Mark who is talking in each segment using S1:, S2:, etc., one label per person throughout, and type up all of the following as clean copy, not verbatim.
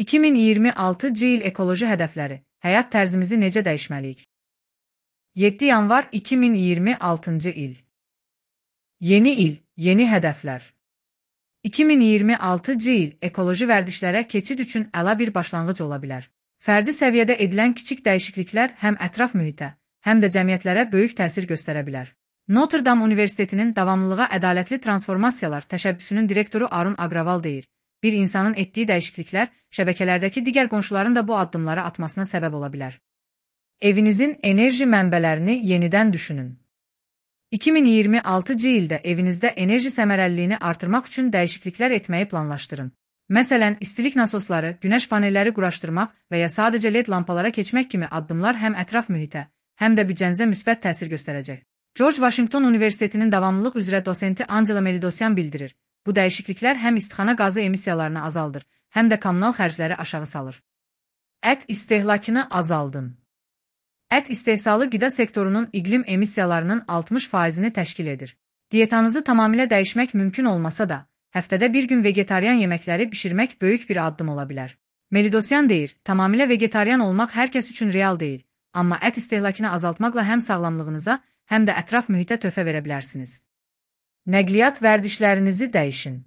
S1: 2026 il ekoloji hədəfləri, həyat tərzimizi necə dəyişməliyik? 7 yanvar 2026 il. Yeni il, yeni hədəflər. 2026 il ekoloji vərdişlərə keçid üçün əla bir başlanğıc ola bilər. Fərdi səviyyədə edilən kiçik dəyişikliklər həm ətraf mühitə, həm də cəmiyyətlərə böyük təsir göstərə bilər. Notre Dame Universitetinin davamlılığa ədalətli transformasiyalar təşəbbüsünün direktoru Arun Agraval deyir, bir insanın etdiyi dəyişikliklər şəbəkələrdəki digər qonşuların da bu addımları atmasına səbəb ola bilər. Evinizin enerji mənbələrini yenidən düşünün. 2026 ildə evinizdə enerji səmərəliliyini artırmaq üçün dəyişikliklər etməyi planlaşdırın. Məsələn, istilik nasosları, günəş panelləri quraşdırmaq və ya sadəcə LED lampalara keçmək kimi addımlar həm ətraf mühitə, həm də büdcənizə müsbət təsir göstərəcək. George Washington Universitetinin davamlılıq üzrə dosenti Angela Melidosyan bildirir. Bu dəyişikliklər həm istixana qazı emissiyalarını azaldır, həm də kommunal xərcləri aşağı salır. Ət istehlakını azaldın. Ət istehsalı qida sektorunun iqlim emissiyalarının 60%-ni təşkil edir. Dietanızı tamamilə dəyişmək mümkün olmasa da, həftədə bir gün vegetarian yeməkləri bişirmək böyük bir addım ola bilər. Melidosyan deyir, tamamilə vegetarian olmaq hər kəs üçün real deyil, amma ət istehlakını azaltmaqla həm sağlamlığınıza, həm də ətraf mühitə töhfə verə bilərsiniz. Nəqliyyat vərdişlərinizi dəyişin.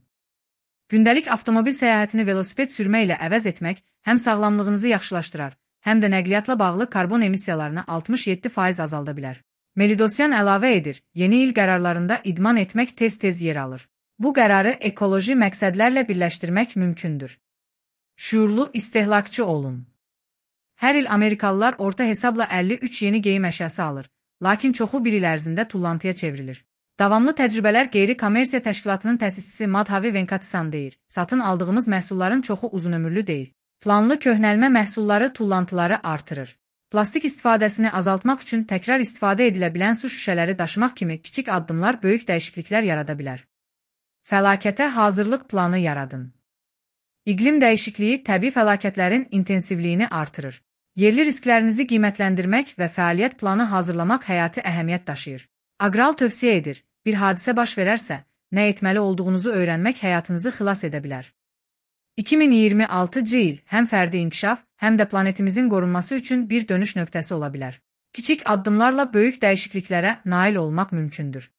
S1: Gündəlik avtomobil səyahətini velosiped sürmə ilə əvəz etmək həm sağlamlığınızı yaxşılaşdırar, həm də nəqliyyatla bağlı karbon emissiyalarını 67% azalda bilər. Melidosyan əlavə edir, yeni il qərarlarında idman etmək tez-tez yer alır. Bu qərarı ekoloji məqsədlərlə birləşdirmək mümkündür. Şuurlu istehlakçı olun. Hər il Amerikalılar orta hesabla 53 yeni geyim əşyası alır, lakin çoxu bir il ərzində tullantıya çevrilir. Davamlı təcrübələr qeyri-kommersiya təşkilatının təsisçisi Madhavi Venkatisan deyir, satın aldığımız məhsulların çoxu uzunömürlü deyil. Planlı köhnəlmə məhsulları tullantıları artırır. Plastik istifadəsini azaltmaq üçün təkrar istifadə edilə bilən su şüşələri daşımaq kimi kiçik addımlar böyük dəyişikliklər yarada bilər. Fəlakətə hazırlıq planı yaradın. İqlim dəyişikliyi təbii fəlakətlərin intensivliyini artırır. Yerli risklərinizi qiymətləndirmək və fəaliyyət planı hazırlamaq həyati əhəmiyyət daşıyır. Agral tövsiyə edir, bir hadisə baş verərsə, nə etməli olduğunuzu öyrənmək həyatınızı xilas edə bilər. 2026 il həm fərdi inkişaf, həm də planetimizin qorunması üçün bir dönüş nöqtəsi ola bilər. Kiçik addımlarla böyük dəyişikliklərə nail olmaq mümkündür.